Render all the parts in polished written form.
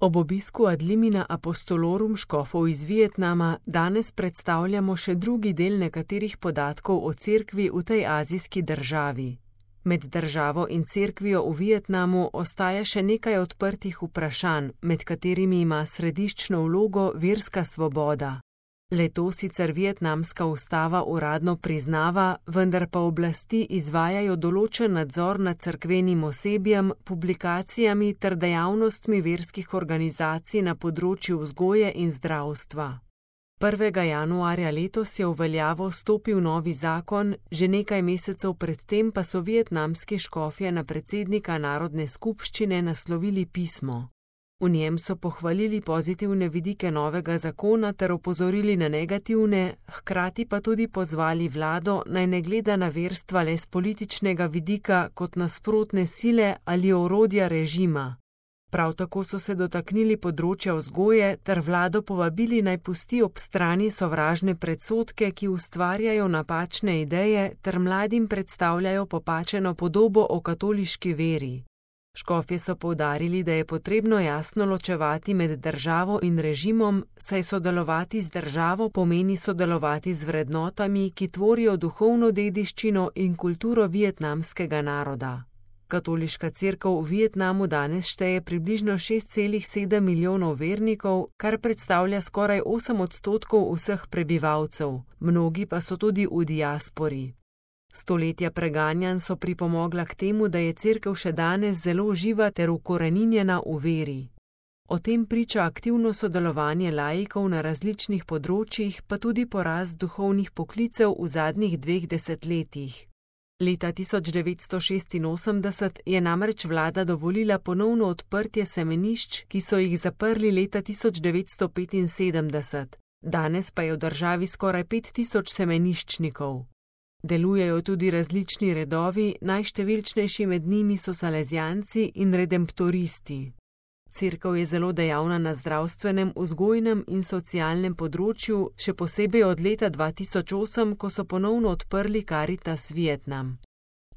Ob obisku ad limina apostolorum škofov iz Vietnama danes predstavljamo še drugi del nekaterih podatkov o cerkvi v tej azijski državi. Med državo in cerkvijo v Vietnamu ostaja še nekaj odprtih vprašanj, med katerimi ima središčno vlogo verska svoboda. Le-to sicer vietnamska ustava uradno priznava, vendar pa oblasti izvajajo določen nadzor nad cerkvenim osebjem, publikacijami ter dejavnostmi verskih organizacij na področju vzgoje in zdravstva. 1. januarja letos je v veljavo stopil novi zakon, že nekaj mesecev predtem pa so vietnamski škofje na predsednika Narodne skupščine naslovili pismo. V njem so pohvalili pozitivne vidike novega zakona ter opozorili na negativne, hkrati pa tudi pozvali vlado, naj ne gleda na verstva le s političnega vidika kot nasprotne sile ali orodja režima. Prav tako so se dotaknili področja vzgoje ter vlado povabili, naj pusti ob strani sovražne predsodke, ki ustvarjajo napačne ideje ter mladim predstavljajo popačeno podobo o katoliški veri. Škofje so poudarili, da je potrebno jasno ločevati med državo in režimom, saj sodelovati z državo pomeni sodelovati z vrednotami, ki tvorijo duhovno dediščino in kulturo vietnamskega naroda. Katoliška cerkev v Vietnamu danes šteje približno 6,7 milijonov vernikov, kar predstavlja skoraj 8% vseh prebivalcev, mnogi pa so tudi v diaspori. Stoletja preganjanj so pripomogla k temu, da je cerkev še danes zelo živa ter ukoreninjena v veri. O tem priča aktivno sodelovanje laikov na različnih področjih, pa tudi porast duhovnih poklicev v zadnjih 2 desetletjih. Leta 1986 je namreč vlada dovolila ponovno odprtje semenišč, ki so jih zaprli leta 1975. Danes pa je v državi skoraj 5000 semeniščnikov. Delujejo tudi različni redovi, najštevilčnejši med njimi so salezijanci in redemptoristi. Cerkev je zelo dejavna na zdravstvenem, vzgojnem in socialnem področju, še posebej od leta 2008, ko so ponovno odprli Caritas Vietnam.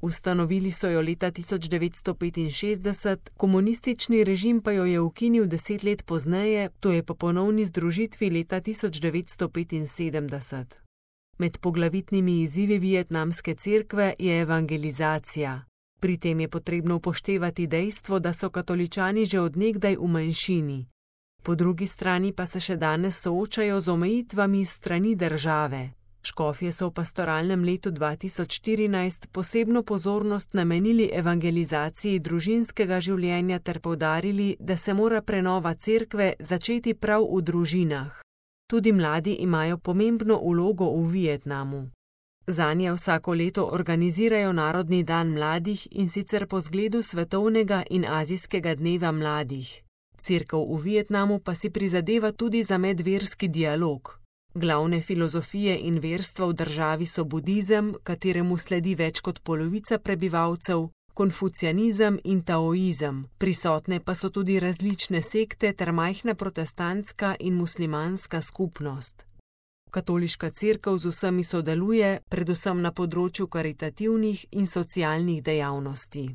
Ustanovili so jo leta 1965, komunistični režim pa jo je ukinil 10 let pozneje, to je po ponovni združitvi leta 1975. Med poglavitnimi izzivi vietnamske cerkve je evangelizacija. Pri tem je potrebno upoštevati dejstvo, da so katoličani že od nekdaj v manjšini. Po drugi strani pa se še danes soočajo z omejitvami strani države. Škofje so v pastoralnem letu 2014 posebno pozornost namenili evangelizaciji družinskega življenja ter poudarili, da se mora prenova cerkve začeti prav v družinah. Tudi mladi imajo pomembno vlogo v Vietnamu. Zanje vsako leto organizirajo Narodni dan mladih, in sicer po zgledu svetovnega in azijskega dneva mladih. Cerkev v Vietnamu pa si prizadeva tudi za medverski dialog. Glavne filozofije in verstva v državi so budizem, kateremu sledi več kot polovica prebivalcev, konfucianizem in taoizem, prisotne pa so tudi različne sekte ter majhna protestantska in muslimanska skupnost. Katoliška cerkev z vsemi sodeluje, predvsem na področju karitativnih in socialnih dejavnosti.